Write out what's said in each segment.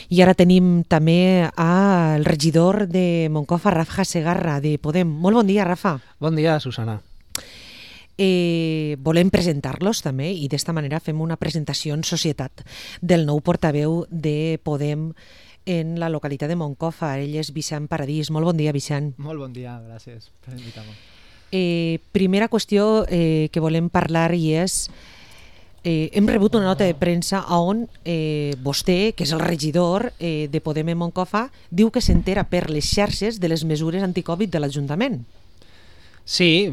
I ara tenim també el regidor de Moncofa, Rafa Segarra, de Podem. Molt bon dia, Rafa. Bon dia, Susana. Volem presentar-los també i d'esta manera fem una presentació en societat del nou portaveu de Podem en la localitat de Moncofa. Ell és Vicent Paradís. Molt bon dia, Vicent. Molt bon dia, gràcies per invitar-me. Primera qüestió que volem parlar i és hem rebut una nota de premsa on vostè, que és el regidor de Podem en Moncofa, diu que s'entera per les xarxes de les mesures anticovid de l'Ajuntament. Sí,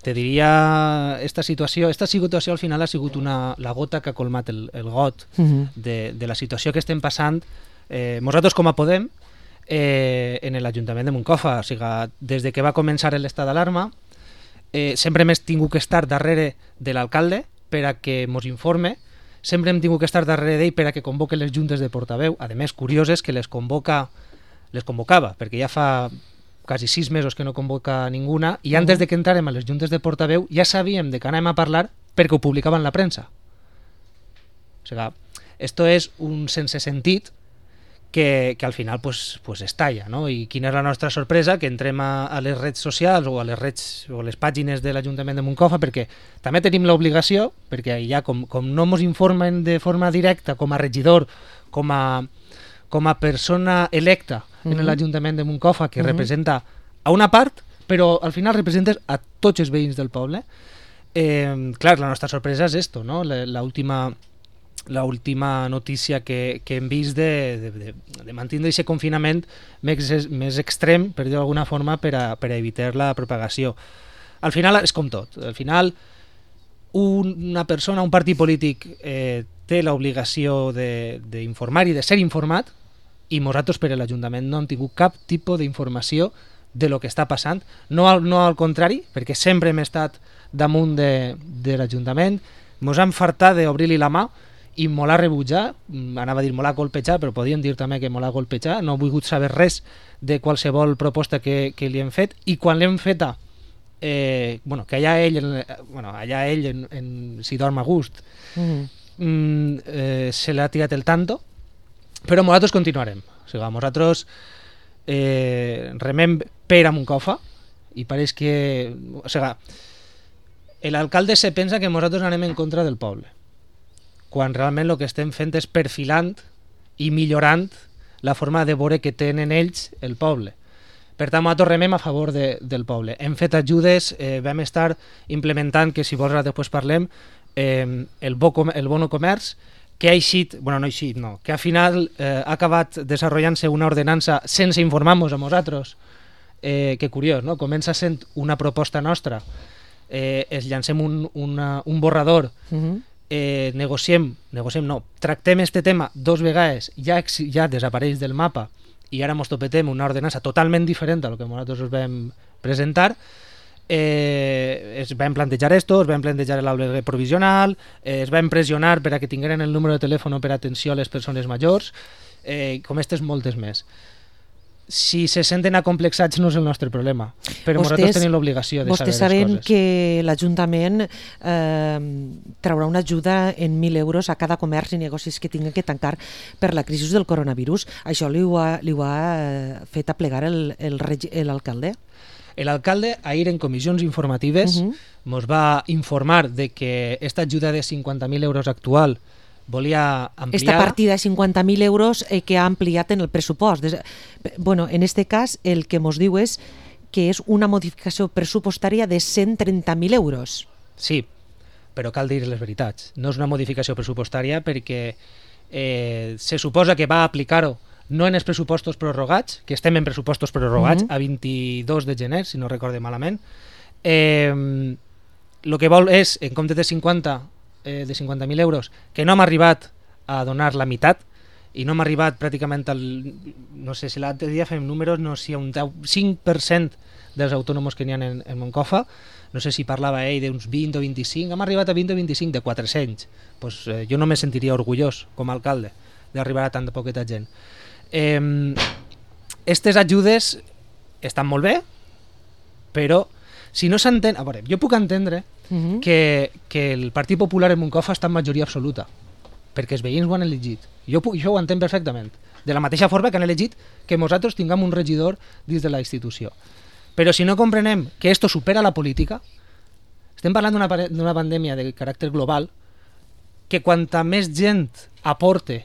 te diria, esta situació al final ha sigut la gota que ha colmat el got de la situació que estem passant nosaltres com a Podem en l'Ajuntament de Moncofa. O sigui, des de que va començar l'estat d'alarma sempre hem tingut que estar darrere de l'alcalde per a que ens informe, sempre hem tingut que estar darrere d'ell per a que convoque les juntes de portaveu. A més, curiós és que les convocava, perquè ja fa quasi 6 mesos que no convoca ninguna, i antes de que entrarem a les juntes de portaveu ja sabíem de què anàvem a parlar perquè ho publicaven la premsa. O sigui, esto és un sense sentit que al final pues estalla, no? I quina és la nostra sorpresa? Que entrem a les redes socials o a les pàgines de l'Ajuntament de Moncofa, perquè també tenim l'obligació, perquè ja com no ens informen de forma directa com a regidor, com a persona electa en l'Ajuntament de Moncofa, que representa a una part, però al final representes a tots els veïns del poble. Clar, la nostra sorpresa és esto, no? L'última notícia que hem vist de mantindre aquest confinament més extrem, per dir-ho d'alguna forma, per a evitar la propagació. Al final és com tot. Al final una persona, un partit polític té l'obligació d'informar i de ser informat, i nosaltres per a l'Ajuntament no hem tingut cap tipus d'informació de lo que està passant. No al contrari, perquè sempre hem estat damunt de l'Ajuntament, ens hem fartat d'obrir-li la mà i molt a rebutjar, anava a dir molt a colpejar, però podíem dir també que molt a colpejar. No he volgut saber res de qualsevol proposta que li hem fet, i quan l'hem feta, que allà ell si dorm a gust, se l'ha tirat el tanto, però nosaltres continuarem. O sigui, nosaltres remem per a Moncofa, i pareix que... O sigui, l'alcalde se pensa que nosaltres anem en contra del poble, quan realment el que estem fent és perfilant i millorant la forma de veure que tenen ells el poble. Per tant, nosaltres remem a favor del poble. Hem fet ajudes, vam estar implementant, que si vols ara després parlem, el bono comerç, que que al final ha acabat desenvolupant-se una ordenança sense informar-nos a nosaltres, que curiós, no? Comença sent una proposta nostra, es llancem un borrador, tractem este tema 2 vegades, ja desapareix del mapa, i ara ens topetem una ordenança totalment diferent a lo que nosaltres us vam presentar. Es vam plantejar esto, es vam plantejar l'albergue provisional, es vam pressionar per a que tingueren el número de telèfon per atenció a les persones majors, com aquestes moltes més. Si se senten acomplexats no és el nostre problema, però nosaltres tenim l'obligació de saber les coses. Vostès saben que l'Ajuntament traurà una ajuda en 1.000 euros a cada comerç i negocis que tinguin que tancar per la crisi del coronavirus. Això li ho ha fet aplegar l'alcalde? L'alcalde ahir en comissions informatives ens va informar de que aquesta ajuda de 50.000 euros actual volia ampliar... Esta partida de 50.000 euros que ha ampliat en el pressupost. En este cas, el que ens diu és que és una modificació pressupostària de 130.000 euros. Sí, però cal dir les veritats. No és una modificació pressupostària perquè se suposa que va aplicar-ho no en els pressupostos prorrogats, que estem en pressupostos prorrogats a 22 de gener, si no recorde malament. El que vol és, en compte de 50.000 euros, que no hem arribat a donar la meitat, i no hem arribat pràcticament no sé si l'altre dia fem números, no sé si un 5% dels autònoms que n'hi ha en Moncofa, no sé si parlava ell d'uns 20 o 25, hem arribat a 20 o 25 de 400. Pues jo no me sentiria orgullós com a alcalde d'arribar a tanta poqueta gent. Aquestes ajudes estan molt bé, però si no s'entén... A veure, jo puc entendre que el Partit Popular en Moncofa està en majoria absoluta, perquè els veïns ho han elegit. Jo ho entenc perfectament. de la mateixa forma que han elegit que nosaltres tinguem un regidor dins de la institució. Però si no comprenem que esto supera la política, estem parlant d'una pandèmia de caràcter global, que quanta més gent aporte,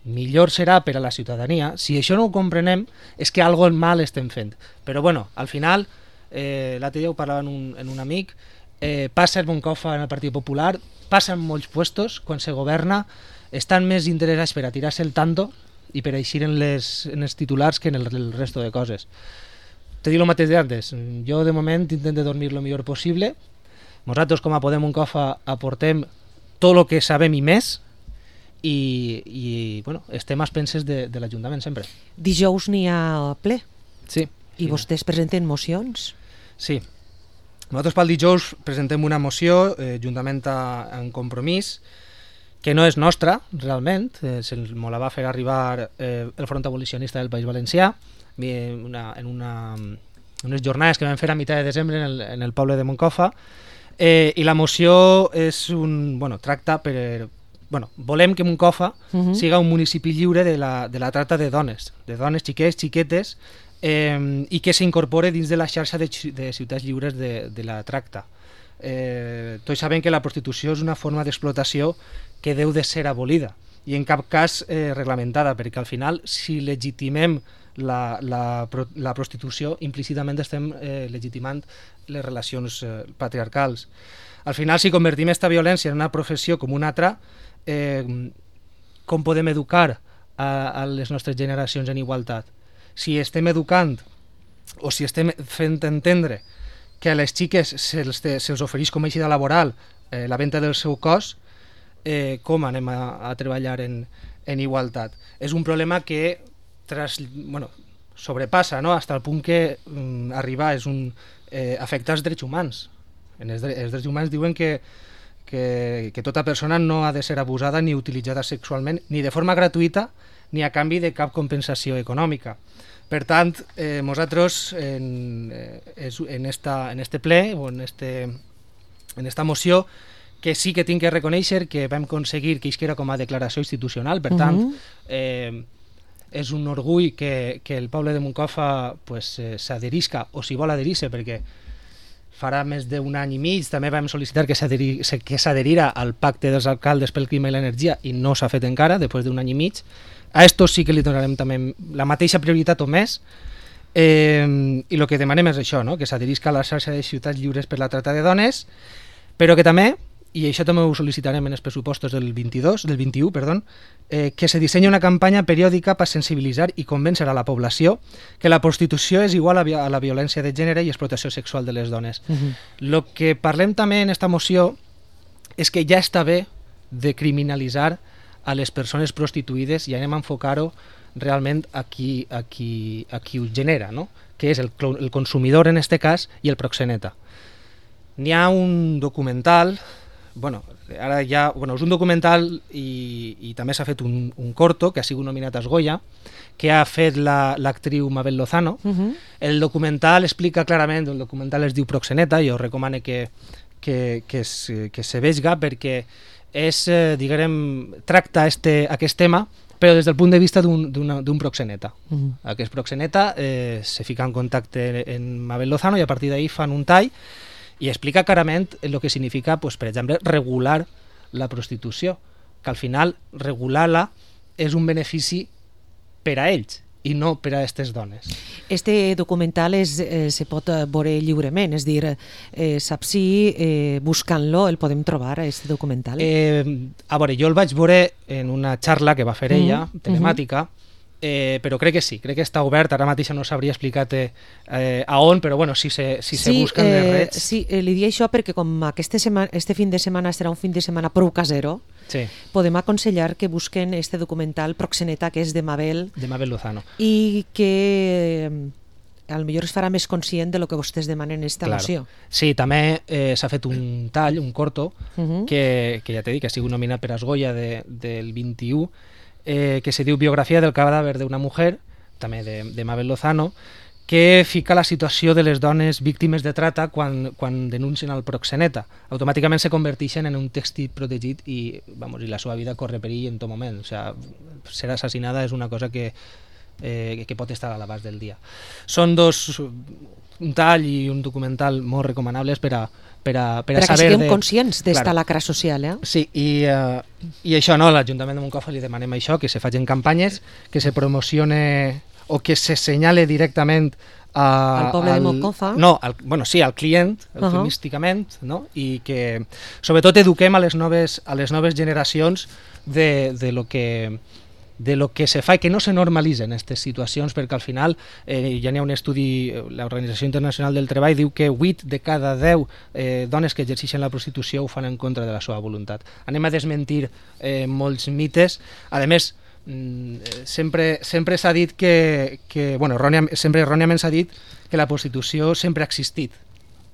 millor serà per a la ciutadania. Si això no ho comprenem, és que algo mal estem fent. Però bueno, al final, l'altre dia ho parlava en un amic, passa el Moncofa en el Partit Popular, passa en molts puestos, quan se governa, estan més interessats per a tirar-se el tanto i per a eixir en els titulars que en el resto de coses. Te dic el mateix d'antes, jo de moment intento dormir el millor possible. Nosaltres com a Podem Moncofa aportem tot el que sabem i més, i bueno, estem a expenses de l'Ajuntament sempre. Dijous n'hi ha ple. Sí. I vostès presenten mocions? Sí. Nosaltres pel dijous presentem una moció juntament en Compromís, que no és nostra, realment, me la va fer arribar el Front Abolicionista del País Valencià, en unes jornades que vam fer a mitjà de desembre en el poble de Moncofa, i la moció tracta per... volem que Moncofa siga un municipi lliure de la tracta de dones xiquets, xiquetes, i que s'incorpore dins de la xarxa de ciutats lliures de la tracta. Tots sabem que la prostitució és una forma d'explotació que deu de ser abolida i en cap cas reglamentada, perquè al final, si legitimem la prostitució, implícitament estem legitimant les relacions patriarcals. Al final, si convertim aquesta violència en una professió com una altra, com podem educar a les nostres generacions en igualtat? Si estem educant o si estem fent entendre que a les xiques se'ls ofereix com a eixida laboral la venda del seu cos, com anem a treballar en igualtat? És un problema que sobrepassa, no? Fins al punt que arribar afecta els drets humans. Els drets humans diuen que tota persona no ha de ser abusada ni utilitzada sexualment, ni de forma gratuïta ni a canvi de cap compensació econòmica. Per tant, nosaltres en este ple o en esta moció, que sí que tinc que reconèixer que vam aconseguir que isquera com a declaració institucional, per tant, és un orgull que el poble de Moncofa s'adherisca, o si vol adherir-se, perquè farà més d'un any i mig també vam sol·licitar que s'adherira al pacte dels alcaldes pel clima i l'energia i no s'ha fet encara, després d'un any i mig. A esto sí que li donarem també la mateixa prioritat o més, i el que demanem és això, no? Que s'adherisca a la xarxa de ciutats lliures per la tracta de dones, però que també, i això també ho sol·licitarem en els pressupostos del 21, que se dissenyi una campanya periòdica per sensibilitzar i convèncer a la població que la prostitució és igual a la violència de gènere i explotació sexual de les dones. El que parlem també en esta moció és que ja està bé de criminalitzar a les persones prostituïdes i anem a enfocar-ho realment a qui ho genera, no? Que és el consumidor en aquest cas i el proxeneta. N'hi ha un documental, és un documental i també s'ha fet un corto que ha sigut nominat als Goya, que ha fet l'actriu Mabel Lozano. El documental explica clarament, el documental es diu Proxeneta, jo recomano que se vegi perquè tracta aquest tema, però des del punt de vista d'un proxeneta. Aquest proxeneta se fica en contacte amb Mabel Lozano i a partir d'ahir fan un tall i explica clarament el que significa, per exemple, regular la prostitució, que al final regular-la és un benefici per a ells i no per a aquestes dones. Este documental se pot veure lliurement, és dir, saps si buscant-lo el podem trobar, este documental? A veure, jo el vaig veure en una xarra que va fer ella, telemàtica, però crec que sí, crec que està obert, ara mateix no sabria explicar a on, però bueno, si se busquen les reds... Sí, li dic això perquè com este fin de setmana serà un fin de setmana prou casero, podem aconsellar que busquen este documental Proxeneta, que és de Mabel Lozano, i que potser es farà més conscient de lo que vostès demanen en esta moció. Sí, també s'ha fet un tall, un corto, que ja t'he dit que ha sigut nominat per als Goya del 21, que se diu Biografia del cadàver d'una mujer, també de Mabel Lozano, que fica la situació de les dones víctimes de trata quan denuncien el proxeneta. Automàticament se converteixen en un textil protegit i la seva vida corre perill en tot moment. O sea, ser assassinada és una cosa que pot estar a l'abast del dia. Són un tall i un documental molt recomanables per a que saber... siguem conscients d'esta lacra social. Sí, i això, no, l'Ajuntament de Moncofa li demanem això, que se facin campanyes, que se promocione o que se senyale directament al poble de Moncofa. No, al client, eufemísticament, no? I que sobretot eduquem a les noves generacions de lo que se fa i que no se normalitzen aquestes situacions, perquè al final ja n'hi ha un estudi, l'Organització Internacional del Treball diu que 8 de cada 10 dones que exerceixen la prostitució ho fan en contra de la seva voluntat. Anem a desmentir molts mites. A més, sempre s'ha dit sempre erròniament s'ha dit que la prostitució sempre ha existit,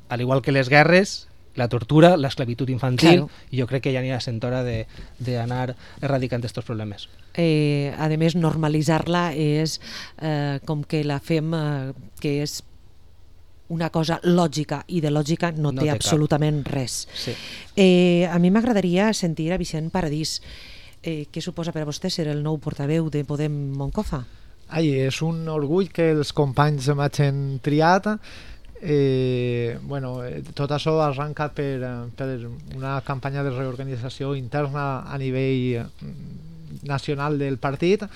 al igual que les guerres, la tortura, l'esclavitud infantil, i jo crec que ja n'hi ha sentora d'anar erradicant aquests problemes. A més, normalitzar-la és com que la fem que és una cosa lògica, i de lògica no té absolutament res. Sí. A mi m'agradaria sentir a Vicent Paradís. Què suposa per a vostè ser el nou portaveu de Podem Moncofa? És un orgull que els companys m'hagin triat. Tot això arranca per una campanya de reorganització interna a nivell nacional del partit.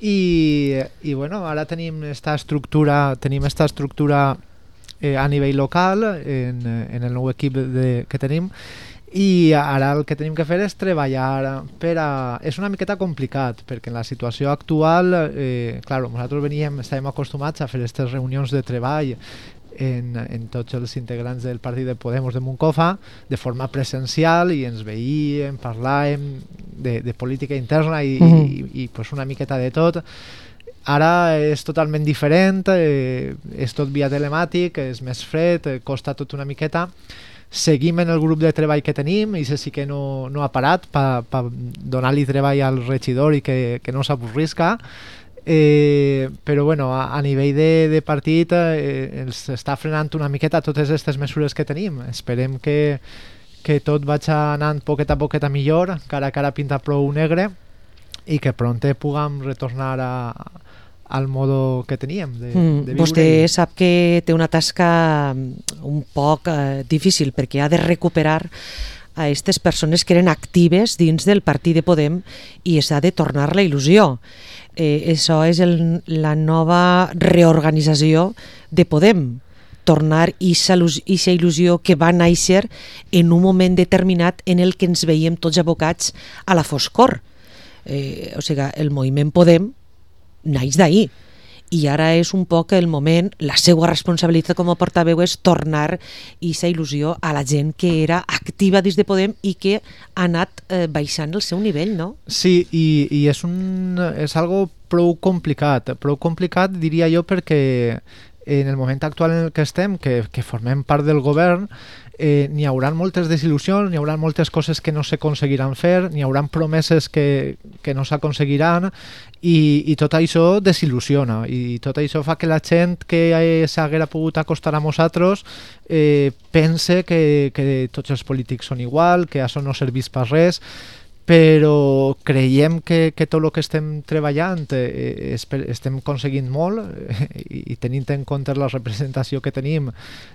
I ara tenim esta estructura a nivell local en el nou equip que tenim, i ara el que tenim que fer és treballar és una miqueta complicat, perquè en la situació actual nosaltres estàvem acostumats a fer aquestes reunions de treball en tots els integrants del partit de Podemos de Moncofa de forma presencial, i ens veíem, parlàvem de política interna i una miqueta de tot. Ara és totalment diferent, és tot via telemàtic, és més fred, costa tot una miqueta. Seguim en el grup de treball que tenim, i sí que no ha parat per donar-li treball al regidor i que no s'avorrisca. Però a nivell de partit ens està frenant una miqueta totes aquestes mesures que tenim. Esperem que tot vagi anant poquet a poquet a millor, que ara pinta prou negre, i que prompte puguem retornar al modo que teníem de viure. Vostè sap que té una tasca un poc difícil, perquè ha de recuperar a aquestes persones que eren actives dins del partit de Podem i s'ha de tornar la il·lusió. Això és la nova reorganització de Podem, tornar aquesta il·lusió que va néixer en un moment determinat en el que ens veiem tots abocats a la foscor. O sigui, el moviment Podem naix d'ahir, i ara és un poc el moment, la seva responsabilitat com a portaveu és tornar aquesta il·lusió a la gent que era activa dins de Podem i que ha anat baixant el seu nivell, no? Sí, i és algo prou complicat diria jo, perquè en el moment actual en el que estem, que formem part del govern, n'hi haurà moltes desil·lusions, n'hi haurà moltes coses que no s'aconseguiran fer, n'hi haurà promeses que no s'aconseguiran, i tot això desil·lusiona, i tot això fa que la gent que s'haguera pogut acostar a nosaltres pense que tots els polítics són igual, que això no serveix per res. Però creiem que tot el que estem treballant estem aconseguint molt, i tenint en compte la representació que tenim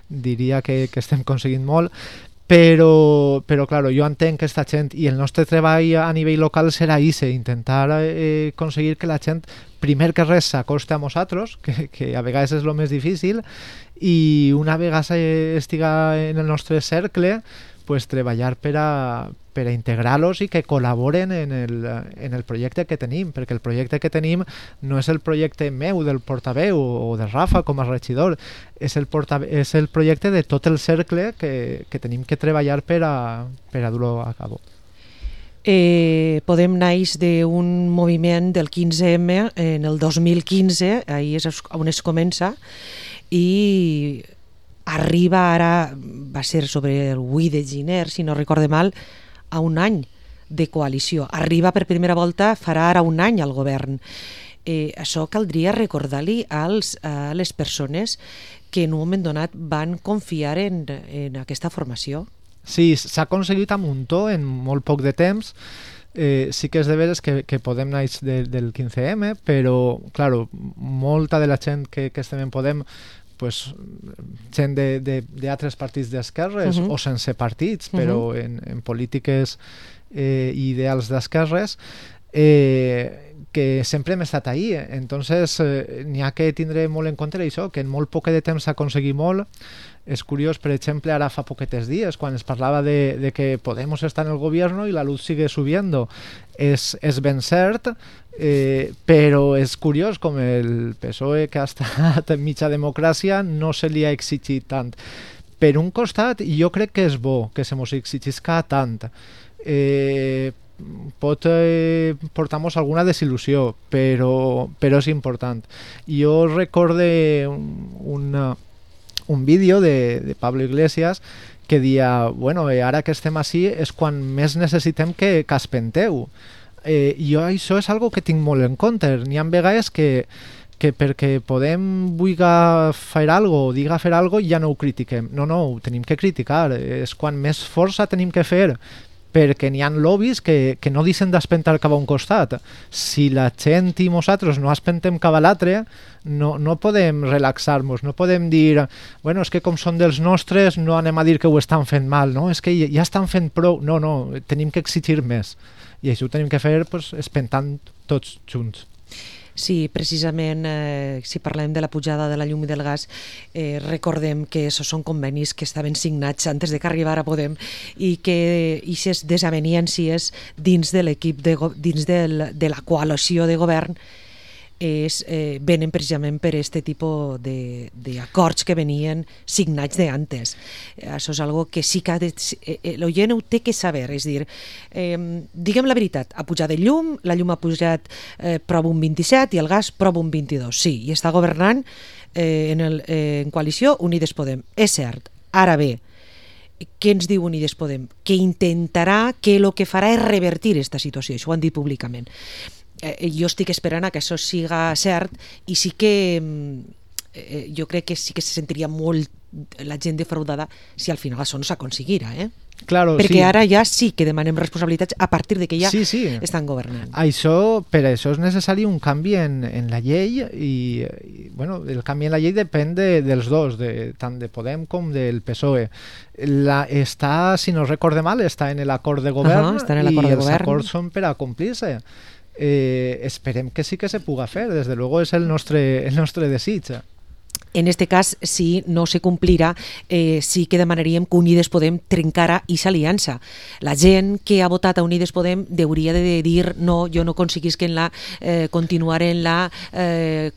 diria que estem aconseguint molt, però clar, jo entenc que aquesta gent, i el nostre treball a nivell local serà intentar aconseguir que la gent primer que res s'acosta a nosaltres, que a vegades és el més difícil, i una vegada estiga en el nostre cercle, treballar per a integrar-los i que col·laboren en el projecte que tenim, perquè el projecte que tenim no és el projecte meu del portaveu o de Rafa com a regidor, és el projecte de tot el cercle que tenim que treballar per a dur-ho a cabo. Podem naix d'un moviment del 15M en el 2015, ahir és on es comença, i arriba ara, va ser sobre el 8 de gener, si no recorde mal, a un any de coalició. Arriba per primera volta, farà ara un any al govern. això caldria recordar-li a les persones que en un moment donat van confiar en aquesta formació. Sí, s'ha aconseguit a muntó en molt poc de temps. Sí que és de veres que Podem naix del 15M, però, claro, molta de la gent que estem en Podem, pues, gent d'altres partits d'esquerres o sense partits, però en polítiques i ideals d'esquerres, que sempre hem estat ahí. Entonces, n'hi ha que tindre molt en compte això, que en molt poc de temps s'ha aconseguit molt. És curiós, per exemple, ara fa poquetes dies, quan es parlava de que Podemos estar en el gobierno y la luz sigue subiendo. És ben cert, però és curiós com el PSOE, que ha estat en mitja democràcia, no se li ha exigit tant. Per un costat, jo crec que és bo que se mos exigisca tant. Pot portar-nos alguna desil·lusió, però és important. Jo recorde un vídeo de Pablo Iglesias que dia, bueno, ara que estem així és quan més necessitem que espenteu. Jo això és algo que tinc molt en compte. N'hi ha vegades que perquè Podem vulga fer algo o diga fer algo ja no ho critiquem. No, ho tenim que criticar. És quan més força tenim que fer, perquè n'hi ha lobbies que no deixen d'espentar cap a un costat. Si la gent i nosaltres no espentem cap a l'altre, no podem relaxar-nos, no podem dir, bueno, és que com són dels nostres no anem a dir que ho estan fent mal, no? És que ja estan fent prou. No, tenim que exigir més. I això ho tenim que fer espentant tots junts. Sí, precisament, si parlem de la pujada de la llum i del gas, recordem que són convenis que estaven signats antes de que arribara a Podem i que aquestes desavenències dins de l'equip, dins de la coalició de govern, venen precisament per aquest tipus d'acords que venien signats d'antes. Això és algo que sí que l'oient ho té que saber, és dir, diguem la veritat, ha pujat el llum, la llum ha pujat prop un 27 i el gas prop un 22, sí, i està governant en coalició Unides Podem, és cert. Ara bé, què ens diu Unides Podem? Que intentarà, que el que farà és revertir aquesta situació, això ho han dit públicament. Jo estic esperant que això siga cert i sí que jo crec que sí que se sentiria molt la gent defraudada si al final això no s'aconseguira, Claro, perquè sí. ara ja sí que demanem responsabilitats a partir de que ja sí. estan governant. Per això és necessari un canvi en la llei i bueno, el canvi en la llei depèn dels dos, tant de Podem com del PSOE. Si no recorde mal, està en l'acord de govern i els acords són per a complir-se. Esperem que sí que se puga fer, desde luego és el nostre desig. En este cas, si no se complirà, sí que demanaríem que Unides Podem trencara aquesta aliança. La gent que ha votat a Unides Podem hauria de dir no, jo no aconseguisc continuar en la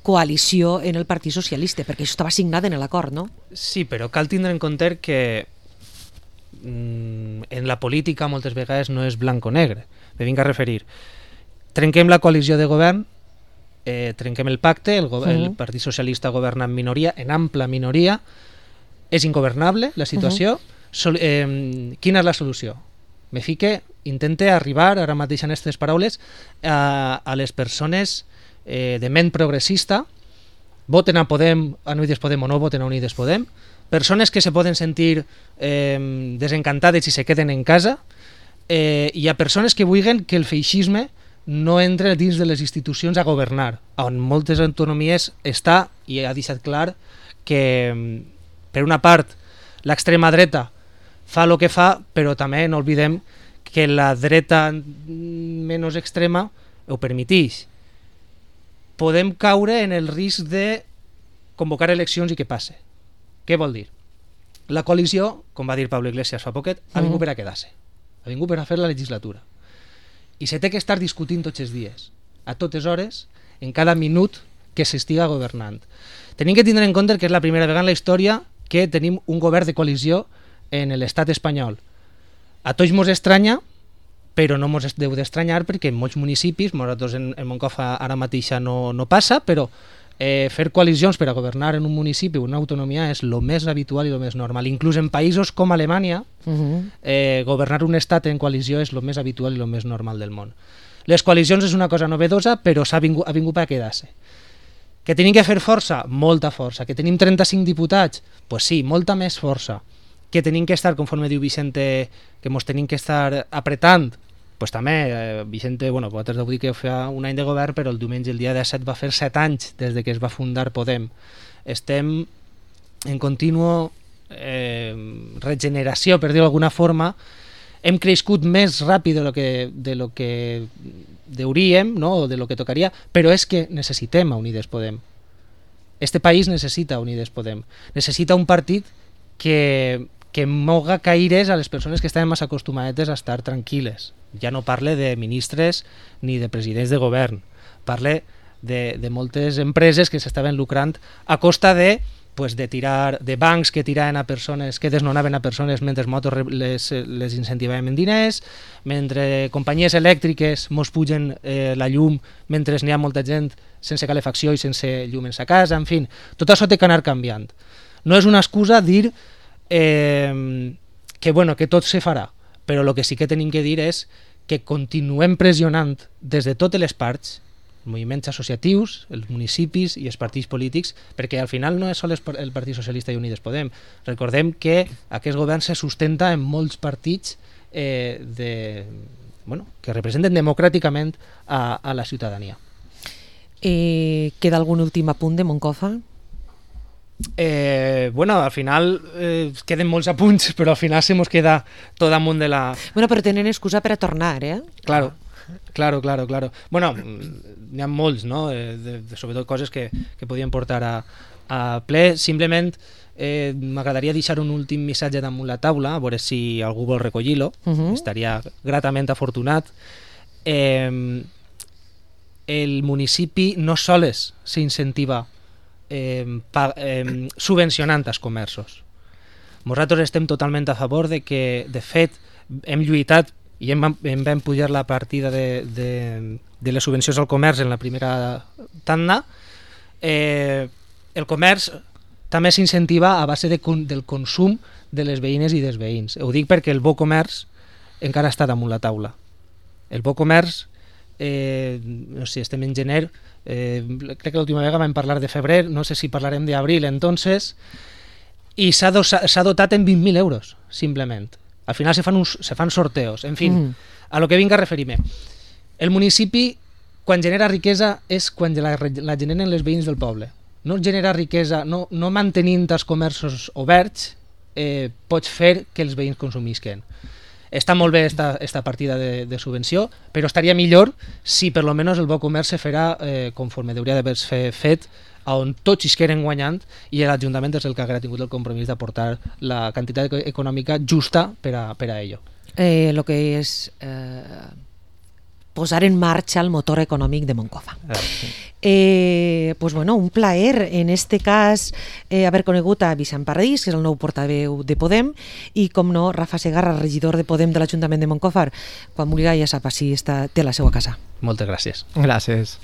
coalició en el Partit Socialista, perquè això estava signat en l'acord, no? Sí, però cal tindre en compte que en la política moltes vegades no és blanc o negre. Me vinc a referir. Trenquem la coalició de govern, trenquem el pacte, el Partit Socialista governa en minoria, en ampla minoria, és ingovernable la situació. Quina és la solució? Me fique, intente arribar, ara mateix en aquestes paraules, a les persones de ment progressista, voten a Podem, a Unides Podem o no voten a Unides Podem, persones que se poden sentir desencantades i se queden en casa, i a persones que vulguin que el feixisme no entra dins de les institucions a governar, on moltes autonomies està i ha deixat clar que, per una part, l'extrema dreta fa el que fa, però també no oblidem que la dreta menys extrema ho permeteix. Podem caure en el risc de convocar eleccions i què passe. Què vol dir? La coalició, com va dir Pablo Iglesias fa poquet, ha vingut per a quedar-se. Ha vingut per a fer la legislatura. I se té que estar discutint tots els dies, a totes hores, en cada minut que s'estiga governant. Tenim que tindre en compte que és la primera vegada en la història que tenim un govern de coalició en l'estat espanyol. A tots mos estranya, però no mos deu d'estranyar perquè en molts municipis, nosaltres en Moncofa ara mateixa no passa, però fer coalicions per a governar en un municipi o una autonomia és el més habitual i el més normal. Inclús en països com Alemanya, governar un estat en coalició és el més habitual i el més normal del món. Les coalicions és una cosa novedosa, però ha vingut per quedar-se. Que tenim que fer força? Molta força. Que tenim 35 diputats? Pues sí, molta més força. Que tenim que estar, conforme diu Vicente, que mos tenim que estar apretant? Pues també, Vicente, bueno, vosaltres deu dir que fa un any de govern, però el diumenge, el dia 17, va fer 7 anys des de que es va fundar Podem. Estem en continu regeneració, per dir-ho d'alguna forma. Hem crescut més ràpid de lo que deuríem, no? O de lo que tocaria, però és que necessitem a Unides Podem. Este país necessita Unides Podem. Necessita un partit que moga caires a les persones que estaven massa acostumades a estar tranquil·les. Ja no parle de ministres ni de presidents de govern. Parle de moltes empreses que s'estaven lucrant a costa de tirar de bancs que tiraven a persones, que desnonaven a persones mentre motos les incentivaven en diners, mentre companyies elèctriques mos pugen la llum mentre n'hi ha molta gent sense calefacció i sense llum en sa casa, en fi, tot això té que anar canviant. No és una excusa dir que tot se farà, però el que sí que tenim que dir és que continuem pressionant des de totes les parts, moviments associatius, els municipis i els partits polítics, perquè al final no és sol el Partit Socialista i Unides Podem. Recordem que aquest govern se sustenta en molts partits que representen democràticament a la ciutadania. Queda algun últim apunt de Moncofa? Al final queden molts apunts, però al final se mos queda tot damunt de la... Però tenen excusa per a tornar, Claro. Bueno, n'hi ha molts, no? Sobretot coses que podien portar a ple. Simplement m'agradaria deixar un últim missatge damunt la taula, a veure si algú vol recollir-lo. Estaria gratament afortunat. El municipi no sols s'incentiva subvencionant els comerços. Nosaltres estem totalment a favor de que, de fet, hem lluitat i em vam pujar la partida de les subvencions al comerç en la primera tanda. El comerç també s'incentiva a base del consum de les veïnes i dels veïns. Ho dic perquè el bo comerç encara està damunt la taula. El bo comerç, no sé, estem en gener, crec que l'última vegada vam parlar de febrer, no sé si parlarem d'abril entonces, i s'ha dotat en 20.000 euros, simplement. Al final se fan sorteos. En fi, a lo que vinc a referir-me. El municipi, quan genera riquesa, és quan la generen les veïns del poble. No genera riquesa, no mantenint els comerços oberts, pots fer que els veïns consumisquen. Està molt bé esta partida de subvenció, però estaria millor si per lo menos el bo comerç se farà conforme hauria d'haver-se fet, on tots hi queden guanyant, i l'Ajuntament és el que ha tingut el compromís d'aportar la quantitat econòmica justa per a ello. El que és posar en marxa el motor econòmic de Moncofa. Un plaer en este cas haver conegut a Vicent Paradís, que és el nou portaveu de Podem, i com no, Rafa Segarra, regidor de Podem de l'Ajuntament de Moncofa. Quan vulgui ja sap si té la seva casa. Moltes gràcies. Gràcies.